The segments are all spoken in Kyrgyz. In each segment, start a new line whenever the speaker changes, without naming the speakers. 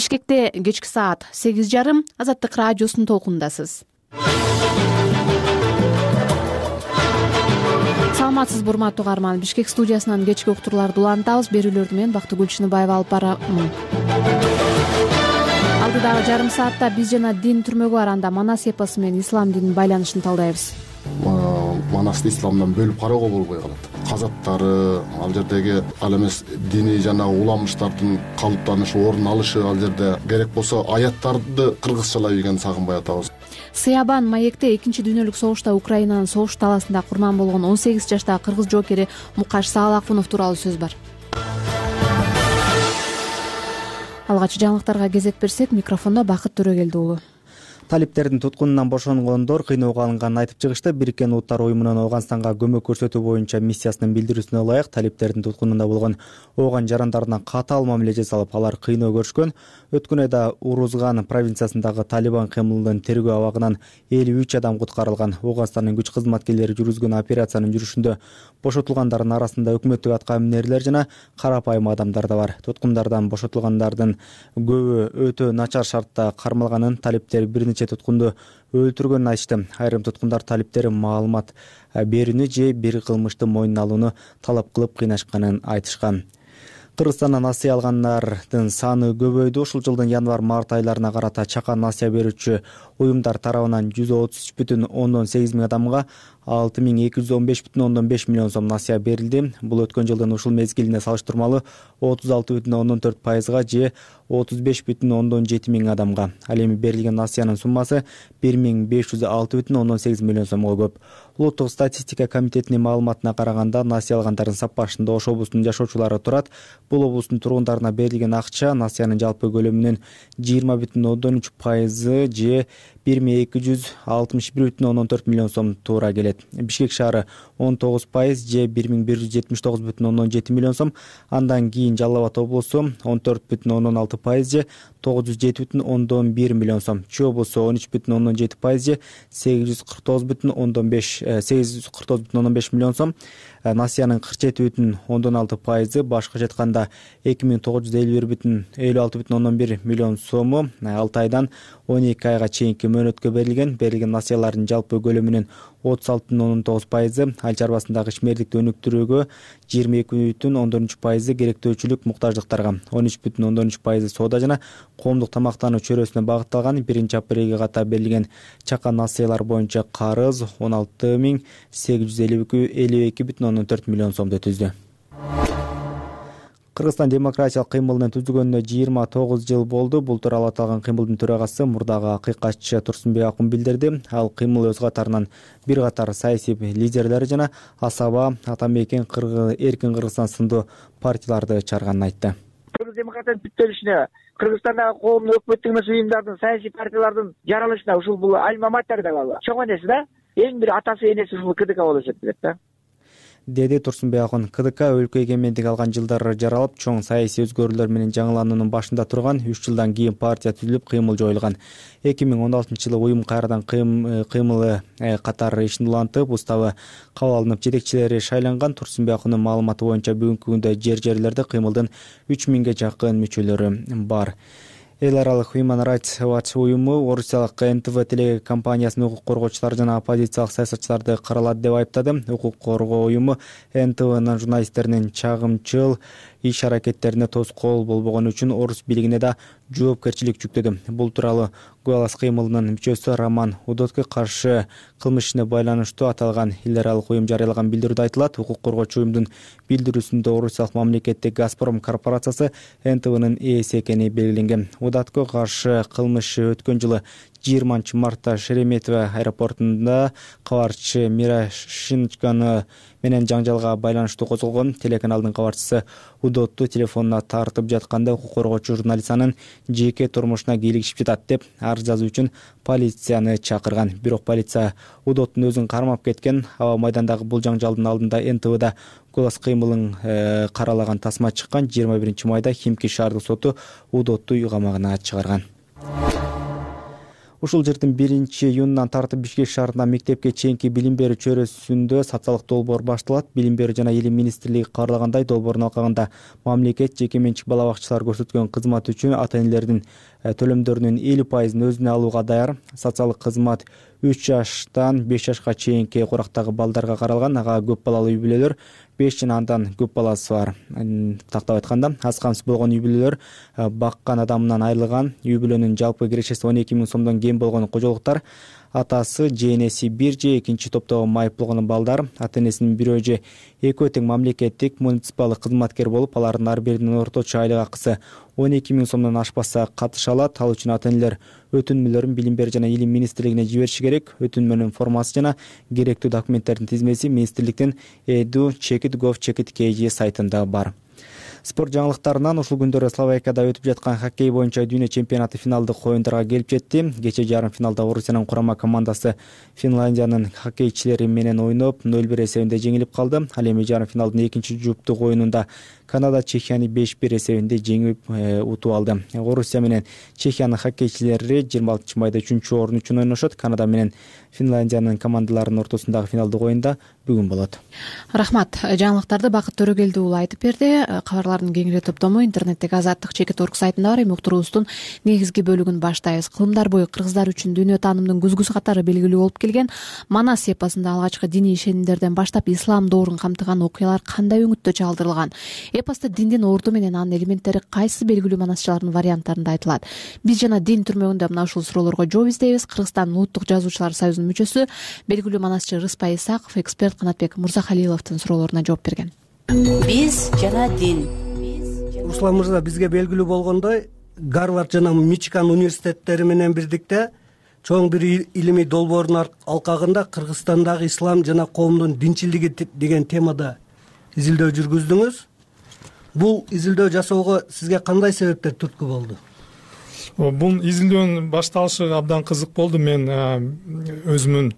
Бишкекте кечки саат 8:30 Азаттык радиосунун толкунундасыз. Саламатсызбы урматтуу угарман. Бишкек студиясынан кечки уктурууларды улантабыз. Берүүлөрдү мен Бактыгүл Чыныбаева алып барамын. Алдыдагы жарым саатта биз жана дин түрмөгү бар, анда Манас эпосу менен ислам дининин байланышын талдайбыз.
Манасты исламдан бөлүп кароого болбой калат. Казактары, ал жердеги ал эмес диний жана уламыштардын калыптанышы, орун алышы, ал жерде керек болсо аяттарды кыргызчалап ийген Сагынбай атабыз.
Сыябан маекте 2-дүйнөлүк согушта Украинанын согуш таласында курман болгон 18 жаштагы кыргыз жоокери Мукаш Саалакунов тууралуу сөз бар. Алгач жаңылыктарга кезек берсек, микрофондо Бакыт Төрөгелди уулу.
Талиптердин туткунунан бошонгондор кыйноого алынганын айтып чыгышты. Бириккен Улуттар уюмунун Ооганстанга көмөк көрсөтүү боюнча миссиясынын билдирүүсүнө ылайык талиптердин туткунунда болгон ооган жарандарына катаал мамиле жасалып, алар кыйноо көрүшкөн. Өткөн айда Урузган провинциясындагы Талибан кыймылынын тергөө абагынан 53 адам куткарылган. Ооганстандын күч кызматкерлери жүргүзгөн операциянын жүрүшүндө бошотулгандардын арасында өкмөттүк атка минерлер жана карапайым адамдар да бар. Туткундардан бошотулгандардын көбү өтө начар шартта кармалганын, талиптер бир нече туткунду өлтүргөнүн айтышты. Айрым туткундар талиптер маалымат берүүнү же бир кылмышты мойнуна алууну талап кылып кыйнашканын айтышкан. Кыргызстандан насыя алгандардын саны көбөйдү. Ушул жылдын январь-март айларына карата чакан насыя берүүчү уюмдар тарабынан 133,8 миң адамга 6215,5 миллион сом насыя берилди. Бул өткөн жылдын ушул мезгилине салыштырмалуу 36,4%га же 35,7 миң адамга. Ал эми берилген насыянын суммасы 1506,8 миллион сомго көп. Улуттук статистика комитетинин маалыматына караганда, насыя алгандардын сапашында Ош облусунун жашоочулары турат. Бул облустун тургундарына берилген акча насыянын жалпы көлөмүнүн 20,3% же 1261,4 миллион сом туура келет. Бишкек шаары 19% же 1179,7 миллион сом. Андан кийин Жалал Абад облусу 14,6% же 907,1 миллион сом. Чүй облусу 13,7% же 849,5 миллион сом. Насыянын 47,6%, башкача айтканда 2951,56,1 миллион сому 6 айдан 12 айга чейинки мөөнөткө берилген. Берилген насыялардын жалпы көлөмүнүн 36,9%, айыл чарбасындагы ишмердикти өнүктүрүүгө 22,4%, керектөөчүлүк муктаждыктарга 13,3%, соода жана коомдук тамактануу чөйрөсүнө багытталган. 1-апрелге ката берилген чакан насыялар боюнча карыз 16,852,4 миллион сомду түздү. Кыргызстан демократиялык кыймылынын түзүлгөнүнө 29 жыл болду. Бул тууралуу аталган кыймылдын төрагасы мурдагы акыйкатчы Турсунбек Акун билдирди. Ал кыймыл өз катарынан бир катар саясий лидерлер жана Асаба, Атамекен, Эркин Кыргызстан сындуу партияларды чыгарганын айтты.
Кыргыз демократиянын бүттөлүшүнө, Кыргызстандагы коомдук өкмөттүк эмес уюмдардын, саясий партиялардын жаралышына ушул бул альма-матер деп алып, чоң энеси да, эң бир атасы энеси ушул КДК болуп эсептелет да.
Деди Турсунбек Акун. КДК өлкө эгемендик алган жылдары жаралып, чоң саясий өзгөрүүлөр менен жаңылануунун башында турган. 3 жылдан кийин партия түзүлүп, кыймыл жоюлган. 2016-жылы уюм кайрадан кыймылы катары ишин улантып, уставы кабыл алынып, жетекчилери шайланган. Турсунбек Акундун маалыматы боюнча бүгүнкү күндө жер-жерлерде кыймылдын 3000ге жакын мүчөлөрү бар. Эл аралык Human Rights Watch уюму орусиялык НТВ телекомпаниясынын укук коргоочулары жана оппозициялык саясатчыларды каралады деп айыптады. Укук коргоо уюму НТВнын журналисттеринин чагымчыл иш-аракеттерине тоскоол болбогону үчүн орус бийлигине да жоопкерчилик жүктөдү. Бул тууралуу Гуалас кыймылынын мүчөсү Роман Удотко каршы кылмыш ишине байланыштуу аталган эл аралык уюм жарыялаган билдирүүдө айтылат. Укук коргоочу уюмдун билдирүүсүндө орусиялык мамлекеттик Газпром корпорациясы НТВнын ээси экени белгиленген. Удотко каршы кылмышы өткөн жылы 20 мартта Шереметьево аэропортунда кабарчы Мирошничканы менен жаңжалга байланыштуу козголгон. Телеканалдын кабарчысы Удотту телефонуна тартып жатканда укук коргоочу журналист анын жеке турмушуна кийлигишип жатат деп арыз жазуу үчүн полицияны чакырган. Бирок полиция Удоттун өзүн кармап кеткен. Аба майдандагы бул жаңжалдын алдында НТВда Гуалас кыймылын каралаган тасма чыккан. 21 майда Химки шаардык соту Удотту үй камагына чыгарган. Ушул жылдын 1-июнунан тартып Бишкек шаарында мектепке чейинки билим берүү чөйрөсүндө социалдык долбоор башталат. Билим берүү жана илим министрлиги каарлагандай долбоордун алкагында мамлекет жеке менчик бала бакчалар көрсөткөн кызмат үчүн ата-энелердин төлөмдөрүнүн 50% өзүнө алууга даяр. Социалдык кызмат 3 жаштан 5 жашка чейинки курактагы балдарга каралган. Ага көп балалуу үй бүлөлөр, 5 жана андан көп баласы бар. Тактап айтканда, аз камсыз болгон үй бүлөлөр, баккан адамынан айрылган, үй бүлөнүн жалпы кирешеси 12 000 сомдон кем болгон кожолуктар, атасы же энеси бир же экинчи топтогу майып болгон балдар, ата-энесинин бирөө же экөө тең мамлекеттик муниципалдык кызматкер болуп, алардын ар биринин орточо айлык акысы 12 000 сомдон ашпаса катыша алат. Ал үчүн ата-энелер өтүнмөлөрүн Билим берүү жана илим министрлигине жибериши керек. Өтүнмөнүн формасы жана керектүү документтердин тизмеси министрликтин edu.gov.kg сайтында бар. Спорт жаңылыктарынан ушул күндөрү Словакияда өтүп жаткан хоккей боюнча дүйнө чемпионаты финалдык оюндарга келип жетти. Кечээ жарым финалда Орусиянын курама командасы Финляндиянын хоккейчилери менен ойноп 0-1 эсебинде жеңилип калды. Ал эми жарым финалдын экинчи жуптук оюнунда Канада Чехияны 5-1 эсебинде жеңип утуп алды. Орусия менен Чехиянын хоккейчилери 26 майда 3-орун үчүн ойношот. Канада менен Финляндиянын командаларынын ортосундагы финалдык оюнда бүгүн болот.
Рахмат. Жаңылыктарды Бакыт Төрөгелди уулу айтып берди. Кабарлардын кеңири топтому интернеттеги azattik.org сайтында бар. Уктуруубуздун негизги бөлүгүн баштайбыз. Кылымдар бою кыргыздар үчүн дүйнө таанымдын күзгүсү катары белгилүү болуп келген Манас эпосунда алгачкы диний ишенимдерден баштап ислам доорун камтыган окуялар кандай өңүттө чагдырылган? Эпоста диндин орду менен анын элементтери кайсы белгилүү манасчылардын варианттарында айтылат? Биз жана дин түрмөгүндө мына ушул суроолорго жооп издейбиз. Кыргызстандын улуттук жазуучулар союзунун мүчөсү, белгилүү манасчы Рыспай Исаков эксперт Канатбек Мурзахалиловдун суроолоруна жооп берген.
Биз жана дин.
Руслан мырза, бизге белгилүү болгондой, Гарвард жана Мичиган университеттери менен бирдикте чоң бир илимий долбоордун алкагында Кыргызстандагы ислам жана коомдун динчилиги деген темада изилдөө жүргүздүңүз. Бул изилдөө жасоого сизге кандай себептер түрткү болду?
Бул изилдөөнүн башталышы абдан кызык болду. Мен өзүмүн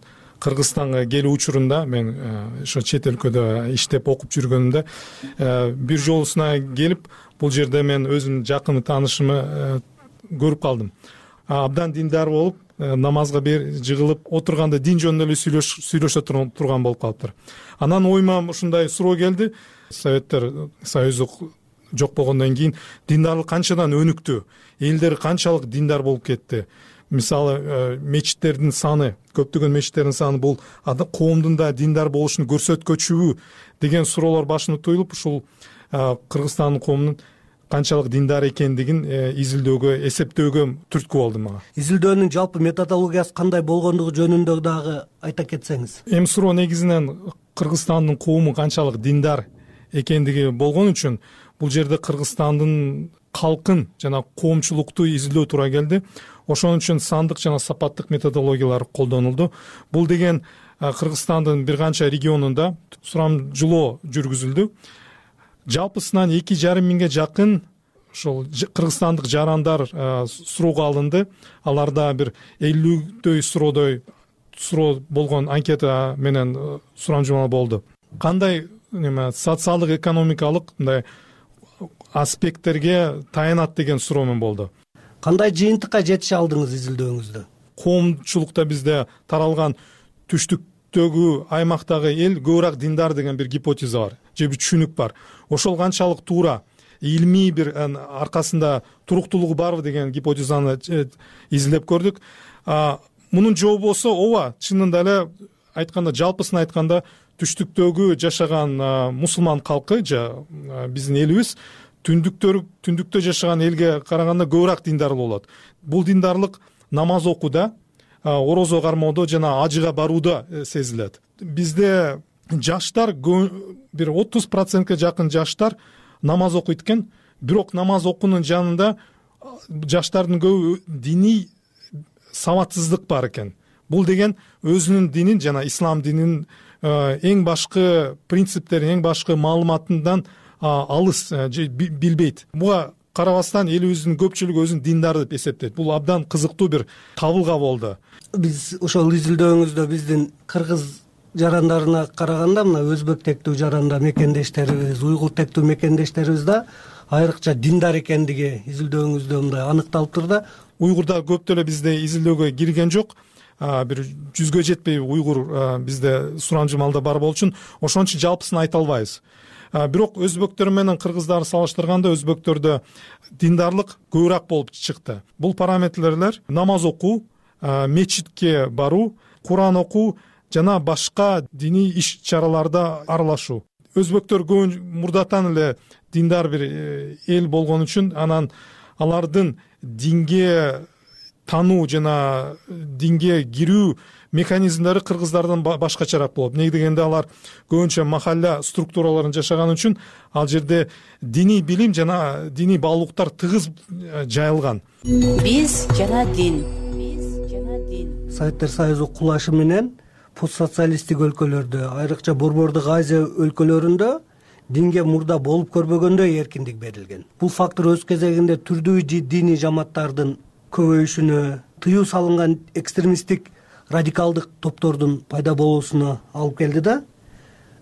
Кыргызстанга келүү учурунда, мен ошо чет өлкөдө иштеп окуп жүргөнүмдө бир жолусуна келип, бул жерде мен өзүмдүн жакын таанышымы көрүп калдым. Абдан диндар болуп, намазга жыгылып отурганда дин жөнүндө эле сүйлөшө турган болуп калыптыр. Анан оюма ушундай суроо келди. Советтер Союзу жок болгондон кийин диндарлык канчадан өнүктү? Элдер канчалык диндар болуп кетти? Мисалы, мечиттердин саны, көптөгөн мечиттердин саны бул коомдун да диндар болушун көрсөткөчүбү деген суроолор башыма туюлуп, ушул Кыргызстандын коомунун канчалык диндар экендигин изилдөөгө, эсептөөгө түрткү болду мага.
Изилдөөнүн жалпы методологиясы кандай болгондугу жөнүндө дагы айта кетсеңиз.
Эми суроо негизинен Кыргызстандын коому канчалык диндар экендиги болгон үчүн бул жерде Кыргызстандын калкын жана коомчулукту изилдөө туура келди. Ошон үчүн сандык жана сапаттык методологиялар колдонулду. Бул деген Кыргызстандын бир канча регионунда сурамжылоо жүргүзүлдү. Жалпысынан 2,5 миңге жакын ошол кыргызстандык жарандар суроого алынды. Аларда бир 50дөй суроо болгон анкета менен сурамжылоо болду. Кандай социалдык экономикалык мындай аспекттерге таянат деген суроо менен болду.
Кандай жыйынтыкка жетише алдыңыз изилдөөңүздө?
Коомчулукта бизде таралган түштүктөгү аймактагы эл көбүрөөк диндар деген бир гипотеза бар, же бир түшүнүк бар. Ошол канчалык туура, илмий бир аркасында туруктуулугу барбы деген гипотезаны изилдеп көрдүк. Мунун жообу болсо ооба, чынында эле айтканда, жалпысын айтканда түштүктөгү жашаган мусулман калкы же биздин элибиз түндүктө жашаган элге караганда көбүрөөк диндар болот. Бул диндарлык намаз окууда, орозо кармоодо жана ажыга барууда сезилет. Бизде жаштар бир 30%га жакын жаштар намаз окуйт экен, бирок намаз окуунун жанында жаштардын көбү диний сабатсыздык бар экен. Бул деген өзүнүн динин жана ислам дининин эң башкы принциптерин, эң башкы маалыматынан алыс билбейт. Буга карабастан элибиздин көпчүлүгү өзүн диндар деп эсептейт. Бул абдан кызыктуу бир табылга болду.
Биз ошол изилдөөңүздө биздин кыргыз жарандарына караганда мына өзбек тектүү жаранда мекендештерибиз, уйгур тектүү мекендештерибиз да айрыкча диндар экендиги изилдөөңүздө мындай аныкталыптыр да.
уйгурда көп деле бизде изилдөөгө кирген жок, бир 100гө жетпей уйгур бизде сурамжымалда бар болчу үчүн ошон үчүн жалпысын айта албайбыз. Бирок өзбектөр менен кыргыздарды салыштырганда өзбектөрдө диндарлык көбүрөөк болуп чыкты. Бул параметрлер намаз окуу, мечитке баруу, Куран окуу жана башка диний иш чараларда аралашуу. Өзбектөр мурдатан эле диндар бир эл болгон үчүн анан алардын динге тануу жана динге кирүү механизмдери кыргыздардан башкачараак болот. Эмне дегенде алар көбүнчө махалла структураларын жашаган үчүн ал жерде диний билим жана диний баалуулуктар тыгыз жайылган.
Биз жана дин.
Советтер Союзу кулашы менен постсоциалисттик өлкөлөрдө, айрыкча Борбордук Азия өлкөлөрүндө динге мурда болуп көрбөгөндөй эркиндик берилген. Бул фактор өз кезегинде түрдүү диний жамааттардын көбөйүшүнө, тыюу салынган экстремисттик радикалдык топтордун пайда болуусуна алып келди да.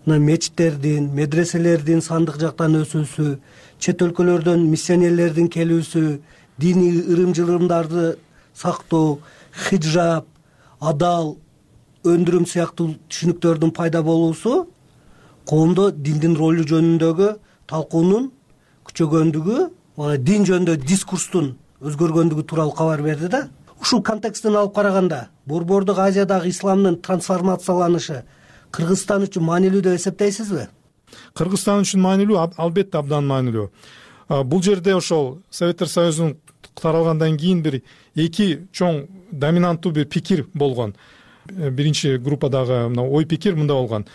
Мечиттердин, медреселердин сандык жактан өсүүсү, чет өлкөлөрдөн миссионерлердин келүүсү, диний ырым-жырымдарды сактоо, хиджаб, адал, өндүрүм сыяктуу түшүнүктөрдүн пайда болуусу коомдо диндин ролу жөнүндөгү талкуунун күчөгөндүгү, дин жөнүндө дискурстун өзгөргөндүгү тууралуу кабар берди да. Ушул контексттен алып караганда, Борбордук Азиядагы исламдын трансформацияланышы Кыргызстан үчүн маанилүү деп эсептейсизби?
Кыргызстан үчүн маанилүү, албетте абдан маанилүү. Бул жерде ошол Советтер Союзунун таралгандан кийин бир эки чоң доминанттуу бир пикир болгон. Биринчи группадагы ой пикир мындай болгон: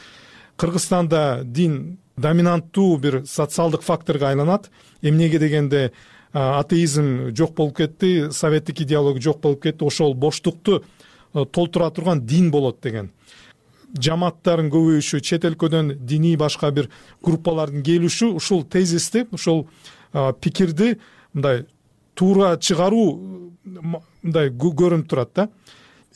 Кыргызстанда дин доминанттуу бир социалдык факторго айланат. Эмнеге дегенде атеизм жок болуп кетти, советтик идеология жок болуп кетти, ошол боштукту толтура турган дин болот деген. Жамааттардын көбөйүшү, чет өлкөдөн диний башка бир группалардын келиши ушул тезисти, ушул пикирди мындай туура чыгаруу мындай көрүнүп турат да.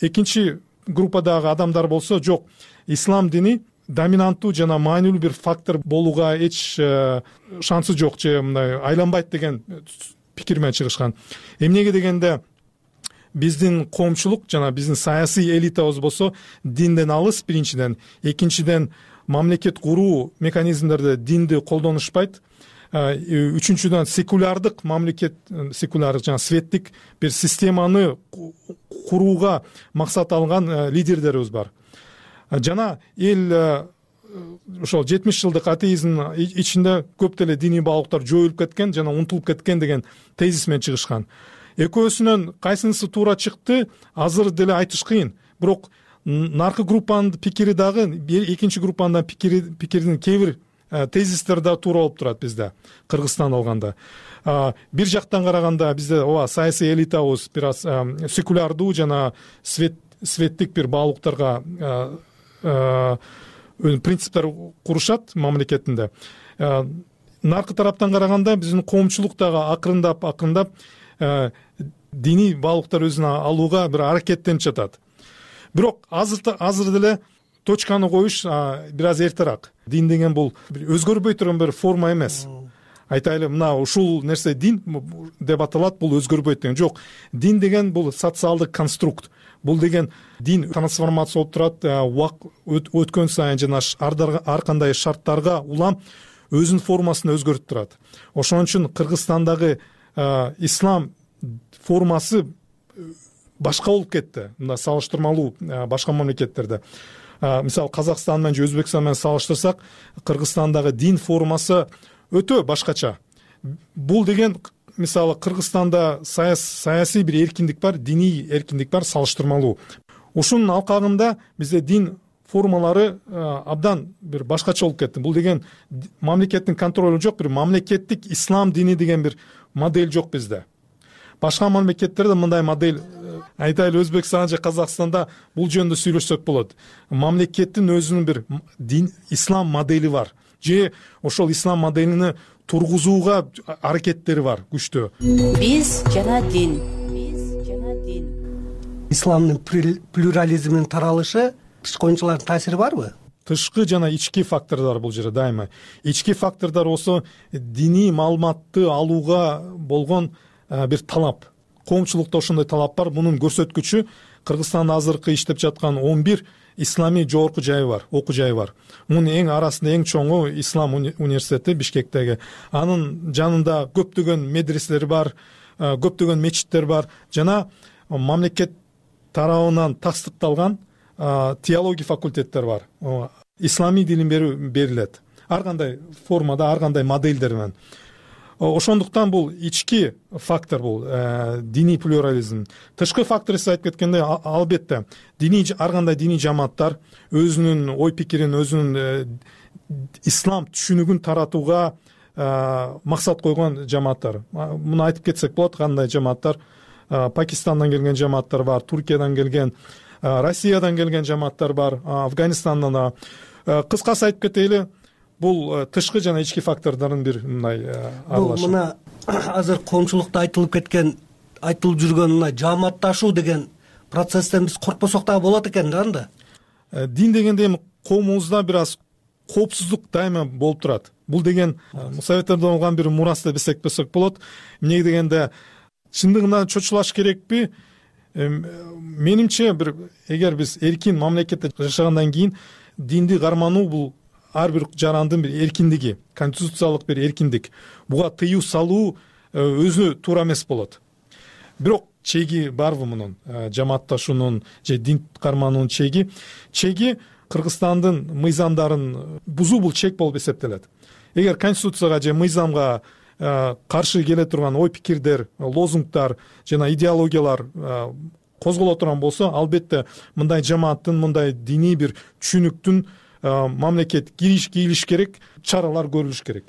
Экинчи группадагы адамдар болсо жок, ислам дини доминанттуу жана маанилүү бир фактор болууга эч шансы жок же мындай айланбайт деген пикир менен чыгышкан. Эмнеге дегенде биздин коомчулук жана биздин саясий элитабыз болсо динден алыс биринчиден, экинчиден мамлекет куруу механизмдерде динди колдонушпайт. Үчүнчүдөн секулярдык мамлекет, секулярдык жана светтик бир системаны курууга максат алган лидерлерибиз бар. Жана эл ошол 70 жылдык атеизм ичинде көп деле диний баалуулуктар жоюлуп кеткен жана унутулуп кеткен деген тезис менен чыгышкан. Экөөсүнөн кайсынысы туура чыкты азыр деле айтыш кыйын. Бирок наркы группанын пикири дагы экинчи группанын пикирдин кээ бир тезистер да туура болуп турат бизде, Кыргызстан алганда. Бир жактан караганда бизде ооба саясий элитабыз бир аз секулярдуу жана светтик бир баалуулуктарга принциптер курушат мамлекетинде. Наркы тараптан караганда биздин коомчулук дагы акырындап диний баалуулуктар өзүнө алууга бир аракеттенип жатат. Бирок азыр деле точканы коюш бир аз эртерээк. Дин деген бул өзгөрбөй турган бир форма эмес. Айтайлы, мына ушул нерсе дин деп аталат, бул өзгөрбөйт деген жок. Дин деген бул социалдык конструкт. Бул деген дин трансформация болуп турат, өткөн сайын жана ар кандай шарттарга улам өзүнүн формасын өзгөртүп турат. Ошон үчүн Кыргызстандагы ислам формасы башка болуп кетти. Мына салыштырмалуу башка мамлекеттерде. Мисалы Казакстан менен же Өзбекстан менен салыштырсак, Кыргызстандагы дин формасы өтө башкача. Бул деген мисалы Кыргызстанда саясий бир эркиндик бар, диний эркиндик бар, салыштырмалуу. Ушунун алкагында бизде дин формалары абдан бир башкача болуп кетти. Бул деген мамлекеттин контролу жок, бир мамлекеттик ислам дини деген бир модель жок бизде. Башка мамлекеттерде мындай модель, айтайлы Өзбекстан же Казакстанда бул жөнүндө сүйлөшсөк болот. Мамлекеттин өзүнүн бир ислам модели бар. Же ошол ислам моделини тургузууга аракеттери бар, күчтүү.
Биз жана дин.
Исламдын плюрализминин таралышы тышкы оюнчулардын таасири барбы?
Тышкы жана ички фактордор бул жерде дайыма. Ички фактордор болсо диний маалыматты алууга болгон бир талап, коомчулукта ошондой талап бар. Мунун көрсөткүчү Кыргызстандын азыркы иштеп жаткан 11 исламий жогорку жайы бар, окуу жайы бар. Мунун эң арасында эң чоңу Ислам университети Бишкектеги. Анын жанында көптөгөн медреселер бар, көптөгөн мечиттер бар жана мамлекет тарабынан тастыкталган теология факультеттер бар. Исламий дилин берилет. Ар кандай формада, ар кандай моделдер менен. Ошондуктан бул ички фактор, бул диний плюрализм. Тышкы фактор сиз айтып кеткендей, албетте ар кандай диний жамааттар өзүнүн ой пикирин, өзүнүн ислам түшүнүгүн таратууга максат койгон жамааттар. Муну айтып кетсек болот, кандай жамааттар. Пакистандан келген жамааттар бар, Туркиядан келген, Россиядан келген жамааттар бар, Афганистандан да. Кыскасы айтып кетели, бул тышкы жана ички фактордордун бир мындай аралашы.
Бул мына азыр коомчулукта айтылып жүргөн мына жааматташуу деген процесстен биз коркпосок дагы болот экен да анда.
Дин дегенде эми коомубузда бир аз коопсуздук дайыма болуп турат. Бул деген Советтерден алган бир мурас деп эсептесек болот. Эмнеге дегенде чындыгында чочулаш керекпи? Менимче эгер биз эркин мамлекетте жашагандан кийин динди кармануу бул ар бир жарандын бир эркиндиги, конституциялык бир эркиндик. Буга тыюу салуу өзү туура эмес болот. Бирок чеги барбы мунун? Жамаатташуунун же дин кармануунун чеги Кыргызстандын мыйзамдарын бузуу бул чек болуп эсептелет. Эгер конституцияга же мыйзамга каршы келе турган ой пикирдер, лозунгдар жана идеологиялар козголо турган болсо, албетте мындай жамааттын, мындай диний бир түшүнүктүн мамлекет кийилиш керек, чаралар көрүлүш керек.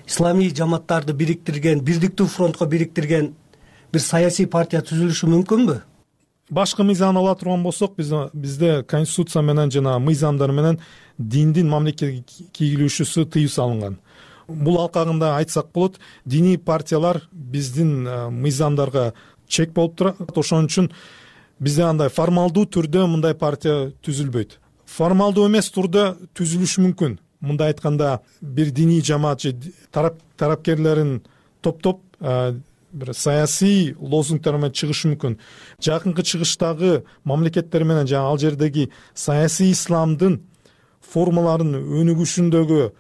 Исламий жамааттарды бириктирген, бирдиктүү фронтко бириктирген бир саясий партия түзүлүшү мүмкүнбү?
Башкы мыйзам ала турган болсок, бизде конституция менен жана мыйзамдар менен диндин мамлекетке кийилүүсү тыюу салынган. Бул алкагында айтсак болот, диний партиялар биздин мыйзамдарга чек болуп турат. Ошон үчүн бизде андай формалдуу түрдө мындай партия түзүлбөйт. Формалдуу эмес түрдө түзүлүшү мүмкүн. Мындай айтканда, бир диний жамаат же тарапкерлерин топтоп бир саясий лозунгтар менен чыгышы мүмкүн. Жакынкы чыгыштагы мамлекеттер менен жана ал жердеги саясий исламдын формаларын өнүгүшүндөгү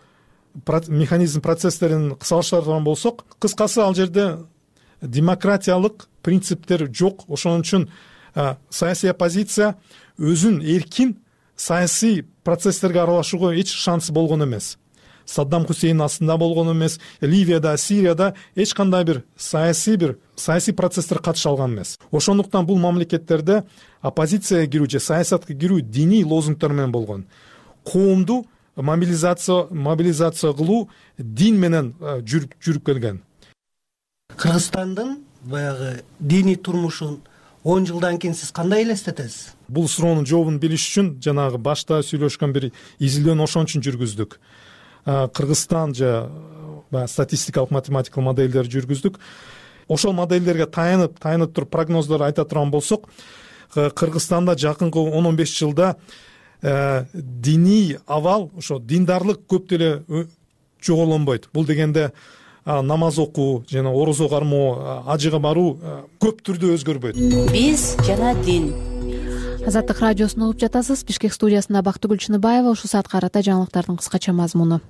механизм процесстерин кысалыштырган болсок, кыскасы ал жерде демократиялык принциптер жок. Ошон үчүн саясий оппозиция өзүн эркин саясий процесстерге аралашууга эч шансы болгон эмес. Саддам Хусейн астында болгон эмес, Ливияда, Сирияда эч кандай бир саясий процесстер катыша алган эмес. Ошондуктан бул мамлекеттерде оппозицияга кирүү же саясатка кирүү диний лозунгтар менен болгон. Коомду мобилизация кылуу дин менен жүрүп келген.
Кыргызстандын баягы диний турмушун 10 жылдан кийин сиз кандай элестетесиз?
Бул суроонун жообун билиш үчүн жанагы башта сүйлөшкөн бир изилдөөнү ошон үчүн жүргүздүк. Кыргызстан же статистикалык математикалык модельдер жүргүздүк. Ошол модельдерге таянып туруп прогноздор айта турган болсок, Кыргызстанда жакынкы 10-15 жылда диний абал, ошо диндарлык көп деле жогорулонбойт. Бул дегенде намаз окуу жана орозо кармоо, ажыга баруу көп түрдө өзгөрбөйт.
Биз жана дин.
Азаттык радиосун угуп жатасыз. Бишкек студиясында Бактыгүл Чыныбаева. Ушул саатка карата жаңылыктардын кыскача мазмуну.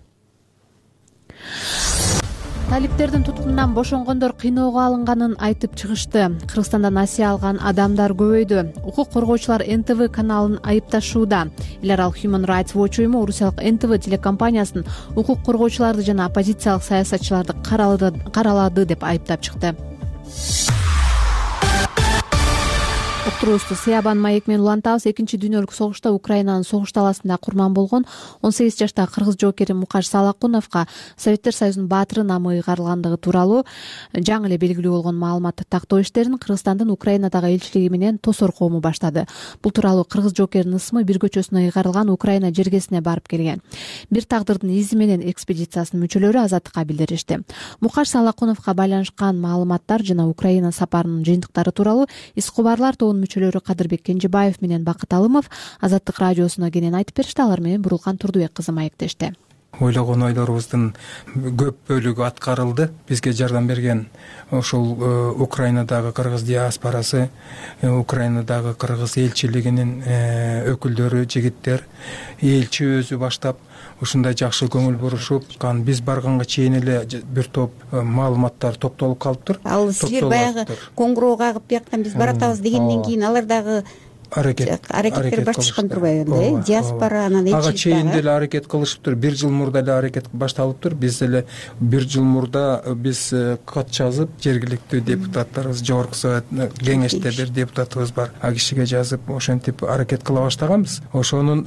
Талиптердин туткунунан бошонгондор кыйноого алынганын айтып чыгышты. Кыргызстанда насыя алган адамдар көбөйдү. Укук коргоочулар НТВ каналын айыпташууда. Эл аралык Human Rights Watch уюму орусиялык НТВ телекомпаниясын укук коргоочуларды жана оппозициялык саясатчыларды каралады деп айыптап чыкты. Уктуруубузду Сыябан маек менен улантабыз. Экинчи дүйнөлүк согушта Украинанын согуш таласында курман болгон 18 жаштагы кыргыз жоокери Мукаш Салакуновго Советтер Союзунун баатыры намы ыйгарылгандыгы тууралуу жаңы эле белгилүү болгон маалыматты тактоо иштерин Кыргызстандын Украинадагы элчилиги менен Тосор коому баштады. Бул тууралуу кыргыз жоокеринин ысмы бир көчөсүнө ыйгарылган Украина жергесине барып келген. Бир тагдырдын изи менен экспедициясынын мүчөлөрү Азаттыкка билдиришти. Мукаш Салакуновго байланышкан маалыматтар жана Украина сапарынын жыйынтыктары тууралуу Ис кубарлар мүчөлөрү Кадырбек Кенжебаев менен Бакыт Алымов Азаттык радиосуна кенен айтып беришти. Алар менен Бурулкан Турдубек кызы маектешти.
ойлогон ойлорубуздун көп бөлүгү аткарылды. Бизге жардам берген ошол Украинадагы кыргыз диаспорасы, Украинадагы кыргыз элчилигинин өкүлдөрү, жигиттер, элчи өзү баштап ушундай жакшы көңүл бурушуп, биз барганга чейин эле бир топ маалыматтар топтолуп калыптыр.
Ал силер баягы коңгуроо кагып бияктан биз баратабыз дегенден кийин алар дагы аракеттер башташкан турбайбы? Диаспора анан элчилик
ага чейин деле аракет кылышыптыр. 1 жыл мурда эле аракет башталыптыр. Биз эле 1 жыл мурда биз кат жазып, жергиликтүү депутаттарыбыз, жогорку совет кеңеште бир депутатыбыз бар, а кишиге жазып ошентип аракет кыла баштаганбыз. Ошонун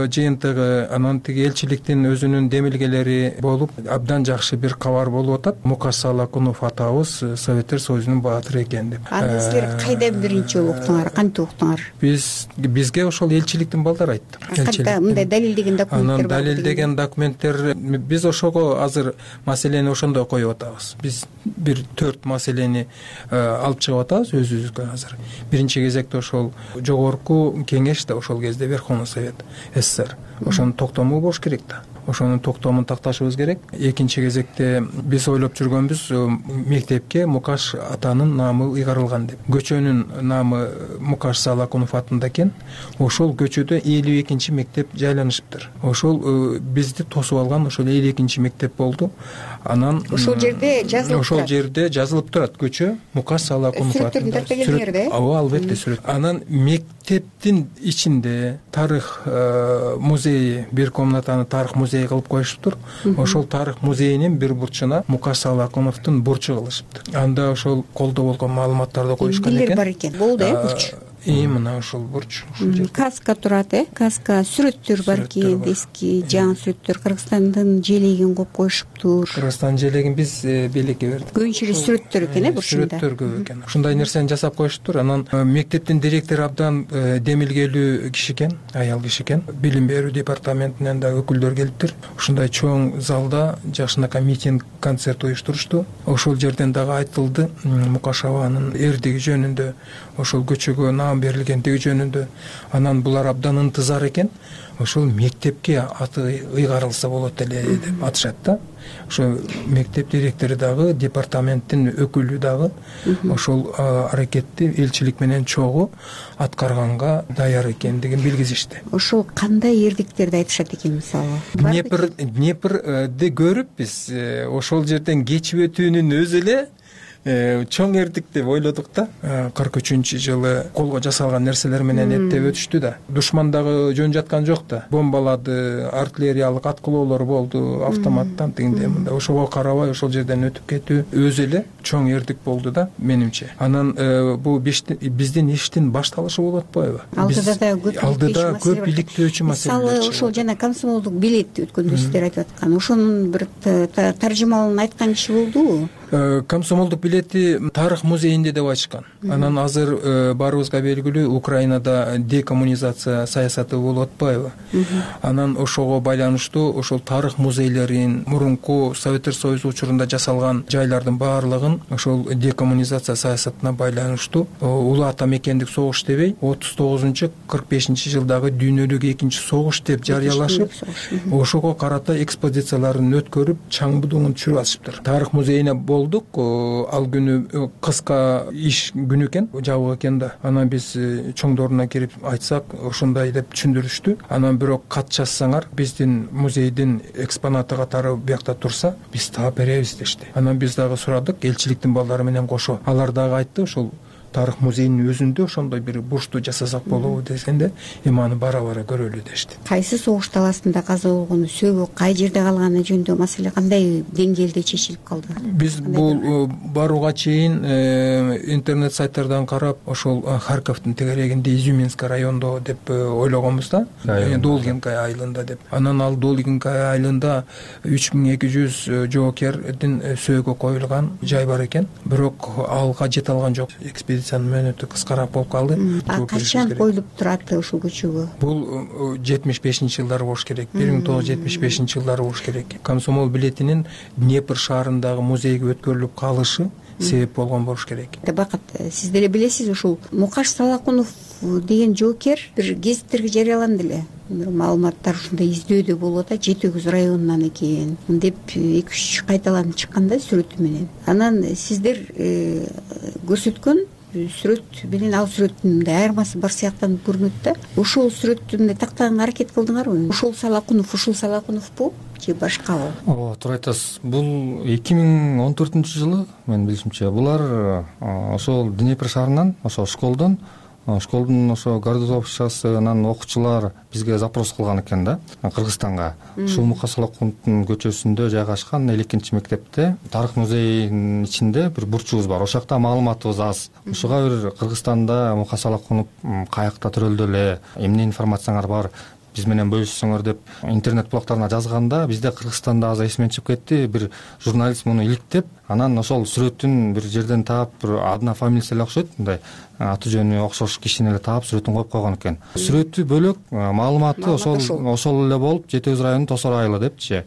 жыйынтыгы анан тиги элчиликтин өзүнүн демилгелери болуп, абдан жакшы бир кабар болуп атат. Мукаш Салакунов атабыз Советтер Союзунун баатыры экен деп.
Аны силер кайдан биринчи уктуңар, кантип уктуңар?
Бизге ошол элчиликтин балдары айтты.
Кантип мындай далилдеген документтер бар?
Анан далилдеген документтер биз ошого азыр маселени ошондой коюп атабыз. Биз бир 4 маселени алып чыгып атабыз өзүбүзгө азыр. Биринчи кезекте ошол жогорку кеңеш да ошол кезде Верховный Совет СССР. Ошонун токтому болуш керек да. Ошонун токтомун такташыбыз керек. Экинчи кезекте биз ойлоп жүргөнбүз мектепке Мукаш атанын наамы ыйгарылган деп. Көчөнүн наамы Мукаш Салакунов атында экен. Ошол көчөдө 52-чи мектеп жайланышыптыр. Ошол бизди тосуп алган ошол 52-чи мектеп болду. Анан
ошол жерде жазылып
Ошол жерде жазылып турат көчө Мукаш Салакунов атында. Ооба, албетте сүрөт. Анан мектептин ичинде тарых музейи, бир комнатаны тарых музей кылып коюшуптур. Ошол тарых музейинин бир бурчуна Мукаш Салакуновдун бурчу кылышыптыр. Анда ошол колдо болгон маалыматтарды коюшкан экен.
Бар экен. Болду бурч.
Мына ошол бурч.
Каска турат, каска сүрөттөр бар экен, эски жаңы сүрөттөр. Кыргызстандын желегин коюп коюшуптур.
Кыргызстандын желегин биз белекке бердик.
Көбүнчө сүрөттөр экен, бурчунда.
Сүрөттөр көп экен. Ушундай нерсени жасап коюшуптур. Анан мектептин директору абдан демилгелүү киши экен, аял киши экен. Билим берүү департаментинен да өкүлдөр келиптир. Ушундай чоң залда жакшынакай митинг, концерт уюштурушту. Ошол жерден дагы айтылды Мукаш абанын эрдиги жөнүндө, ошол көчөгө наам берилгендиги жөнүндө. Анан булар абдан ынтызар экен. Ошол мектепке аты ыйгарылса болот эле деп атышат да. Ошо мектеп директору дагы, департаменттин өкүлү дагы ошол аракетти элчилик менен чогуу аткарганга даяр экендигин билгизишти.
Ошол кандай эрдиктерди айтышат экен мисалы?
Днепрди көрүп биз ошол жерден кечип өтүүнүн өзү эле чоң эрдик деп ойлодук да. 43-жылы колго жасалган нерселер менен эптеп өтүштү да. Душман дагы жөн жаткан жок да. Бомбалады, артиллериялык аткылоолор болду, автоматтан тигиндей мындай. Ошого карабай ошол жерден өтүп кетүү өзү эле чоң эрдик болду да менимче. Анан бул биздин иштин башталышы болуп атпайбы? Алдыда көп иликтөөчү маселелер.
Мисалы ошол жана комсомолдук билет өткөндө сиздер айтып аткан, ошонун бир таржымалын айткан киши болдубу?
Комсомолдук билети тарых музейинде деп айтышкан. Анан азыр баарыбызга белгилүү Украинада декоммунизация саясаты болуп атпайбы? Анан ошого байланыштуу ошол тарых музейлерин, мурунку Советтер Союзу учурунда жасалган жайлардын баардыгын ошол декоммунизация саясатына байланыштуу улуу ата мекендик согуш дебей 39-45 жылдагы дүйнөлүк экинчи согуш деп жарыялашып, ошого карата экспозицияларын өткөрүп, чаң будуңун түшүрүп атышыптыр. Тарых музейине болдук. Ал күнү кыска иш күнү экен, жабык экен да. Анан биз чоңдоруна кирип айтсак, ошондой деп түшүндүрүштү. Анан бирок кат жазсаңар, биздин музейдин экспонаты катары биякта турса, биз таап беребиз дешти. Анан биз дагы сурадык, элчиликтин балдары менен кошо. Алар дагы айтты, ошол тарых музейинин өзүндө ошондой бир бурчту жасасак болобу дегенде, аны бара-бара көрөлү дешти.
Кайсы согуш таласында каза болгону, сөөгү кай жерде калганы жөнүндө маселе кандай деңгээлде чечилип калды?
Биз бул барууга чейин интернет сайттардан карап, ошол Харьковдун тегерегинде Изюминский райондо деп ойлогонбуз да, Долгинка айылында деп. Анан ал Долгинка айылында 3200 жоокердин сөөгү коюлган жай бар экен. Бирок алга жете алган жок. Экспедициянын мөөнөтү кыскараак болуп калды.
Качан коюлуп турат ушул көчөгө?
Бул 75-жылдары болуш керек. 1975-жылдары болуш керек. Комсомол билетинин Днепр шаарындагы музейге өткөрүлүп калышы себеп болгон болуш керек.
Бакыт, сиз деле билесиз, ушул Мукаш Салакунов деген жоокер бир гезиттерге жарыяланды эле. бир маалыматтар ушундай издөөдө болуп атат, Жети Өгүз районунан экен деп 2-3 кайталанып чыккан да сүрөтү менен. Анан сиздер көрсөткөн сүрөт менен ал сүрөттүн мындай айырмасы бар сыяктанып көрүнөт да. Ошол сүрөттү мындай тактаганга аракет кылдыңарбы? Ушул Салакуновпу же башкабы?
Ооба, туура айтасыз. Бул 2014-жылы менин билишимче булар ошол Днепр шаарынан, ошо школдун ошо городовщикасынан окуучулар бизге запрос кылган экен да, Кыргызстанга. Ушул Мука Салакуновдун көчөсүндө жайгашкан 2-мектепте тарых музейинин ичинде бир бурчубуз бар. Ошол жакта маалыматыбыз аз. Ушуга бир Кыргызстанда Мука Салакунов каякта төрөлдү эле, эмне информацияңар бар, биз менен бөлүшсөңөр деп интернет блогторуна жазганда, бизде Кыргызстанда азыр эсимен чыгып кетти. Бир журналист муну иликтеп, анан ошол сүрөтүн бир жерден таап, бир адына фамилиясы эле окшойт, мындай аты жөнү окшош кишини эле таап сүрөтүн коюп койгон экен. Сүрөтү бөлөк, маалыматы ошол эле болуп, Жети Өгүз районунун Тосор айылы депчи.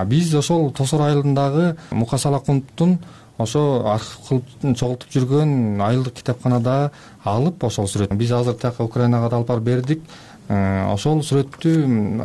Биз ошол Тосор айылындагы Мука Салакуновдун ошо архив кылып чогултуп жүргөн айылдык китепканада алып ошол сүрөт. Биз азыр тияка Украинага да алып барып бердик. Ошол сүрөттү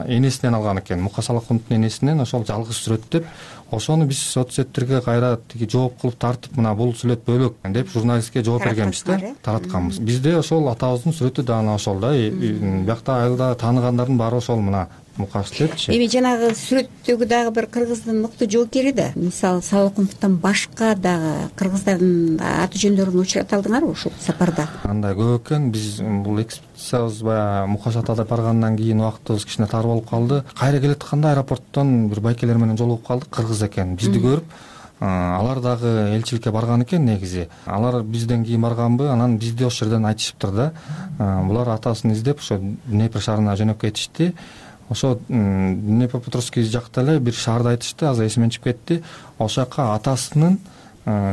энесинен алган экен, Мука Салакуновдун энесинен ошол жалгыз сүрөт деп, ошону биз соцсеттерге кайра жооп кылып тартып, мына бул сүрөт бөлөк деп журналистке жооп бергенбиз да, таратканбыз. Бизде ошол атабыздын сүрөтү да ана ошол да, биякта айылда тааныгандардын баары ошол мына Мукаш депчи.
Эми жанагы сүрөттөгү дагы бир кыргыздын мыкты жоокери да. Мисалы Салакуновдон башка дагы кыргыздардын аты жөндөрүн учурата алдыңарбы ушул сапарда?
Андай көп экен. Биз бул экспедициябыз баягы Мукаш атада баргандан кийин убактыбыз кичине тар болуп калды. Кайра келатканда аэропорттон бир байкелер менен жолугуп калдык, кыргыз экен. Бизди көрүп, алар дагы элчиликке барган экен негизи. Алар бизден кийин барганбы, анан бизди ошол жерден айтышыптыр да. Булар атасын издеп ошо Днепр шаарына жөнөп кетишти. Ошо Днепропетровский жакта эле бир шаарды айтышты, азыр эсимден чыгып кетти. Ошол жака атасынын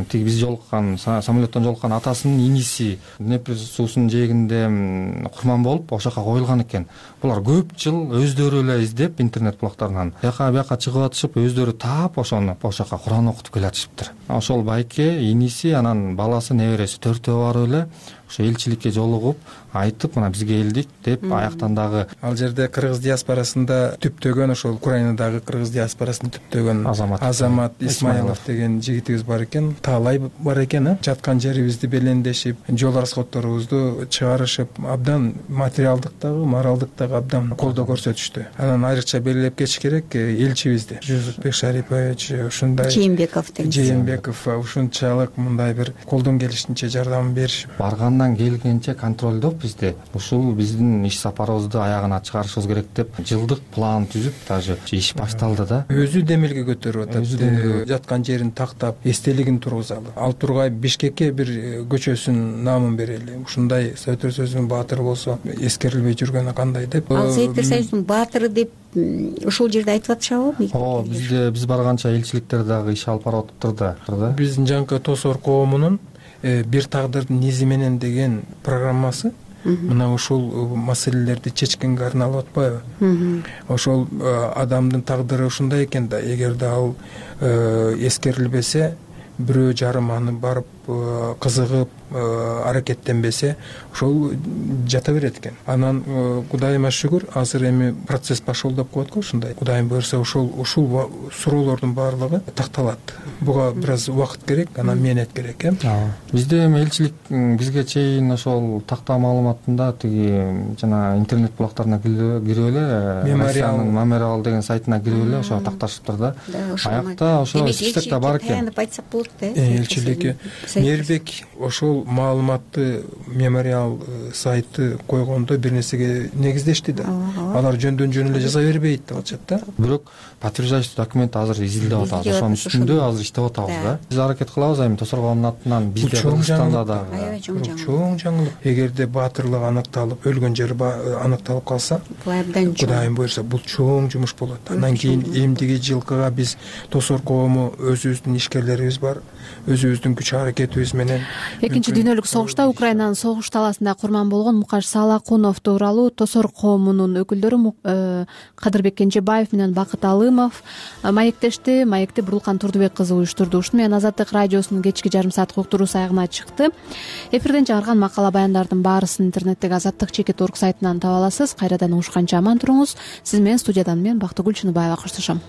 тиги биз жолуккан, самолеттон жолуккан атасынын иниси Днепр суусунун жээгинде курман болуп, ошол жака коюлган экен. Булар көп жыл өздөрү эле издеп интернет блогторунан бияка чыгып атышып, өздөрү таап ошону ошол жака Куран окутуп келатышыптыр. Ошол байке иниси, анан баласы, небереси төртөө барып эле ошо элчиликке жолугуп айтып, мына бизге келдик деп, аяктан дагы
ал жерде кыргыз диаспорасында түптөгөн, ошол Украинадагы кыргыз диаспорасында түптөгөн Азамат Исмаилов деген жигитибиз бар экен, таалай бар экен. Жаткан жерибизди белендешип, жол расходторубузду чыгарышып, абдан материалдык дагы, моралдык дагы абдан колдоо көрсөтүштү. Анан айрыкча белгилеп кетиш керек элчибизди, Жусупбек Шарипович, ушундай Жээнбеков ушунчалык мындай бир колдон келишинче жардам беришип,
баргандан келгенче контролдоп бизди ушул биздин иш сапарыбызды аягына чыгарышыбыз керек деп жылдык план түзүп, даже иш башталды да.
Өзү демилге көтөрүп атат, жаткан жерин тактап, эстелигин тургузалы. Ал тургай Бишкекке бир көчөсүнүн наамын берели. Ушундай Советтер Союзунун баатыры болсо эскерилбей жүргөнү кандай деп.
Ал Советтер Союзунун баатыры деп ушул жерде айтып атышабы?
Ооба, биз барганча элчиликтер дагы иш алып барып атыптыр да.
Биздин жанкы Тосор коомунун бир тагдырдын изи менен деген программасы мына ушул маселелерди чечкенге арналып атпайбы? Ошол адамдын тагдыры ушундай экен да, эгерде ал эскерилбесе, бирөө жарым аны барып кызыгып аракеттенбесе, ошол жата берет экен. Анан Кудайыма шүгүр, азыр эми процесс башолдоп коет го ушундай. Кудайым буйрса ушул суроолордун баардыгы такталат. Буга бир аз убакыт керек, анан менет керек,
Бизде эми элчилик бизге чейин ошол такта маалыматында тиги жана интернет блогторуна кирип эле, мемориал деген сайтына кирип эле ошо такташыптыр да. Аякта ошо списокто бар экен.
Таянып айтсак болот да.
Элчиликке Мээрбек ошол маалыматты мемориал сайты койгондо бир нерсеге негиздешти да. Алар жөндөн жөн эле жаза бербейт деп атышат да.
Бирок подтверждающий документ азыр изилдеп атабыз. Ошонун үстүндө азыр иштеп атабыз да. Биз аракет кылабыз эми Тосор коомунун атынан, бизде Кыргызстанда дагы
чоң жаңылык. Эгерде баатырлык аныкталып, өлгөн жери аныкталып калса, Кудайым буйрса бул чоң жумуш болот. Андан кийин эмдиги жылкыга биз Тосор коому өзүбүздүн ишкерлерибиз бар, өзүбүздүн күч аракет кетүүбүз менен.
Экинчи дүйнөлүк согушта Украинанын согуш талаасында курман болгон Мукаш Салакунов тууралуу Тосор коомунун өкүлдөрү Кадырбек Кенжебаев менен Бакыт Алымов маектешти. Маекти Бурулкан Турдубек кызы уюштурду. Ушуну менен Азаттык радиосунун кечки жарым сааттык уктуруусу аягына чыкты. Эфирден чыгарган макала баяндардын баарысын интернеттеги Азаттык.org сайтынан таба аласыз. Кайрадан угушканча аман туруңуз. Сиз менен студиядан мен Бактыгүл Чыныбаева коштошом.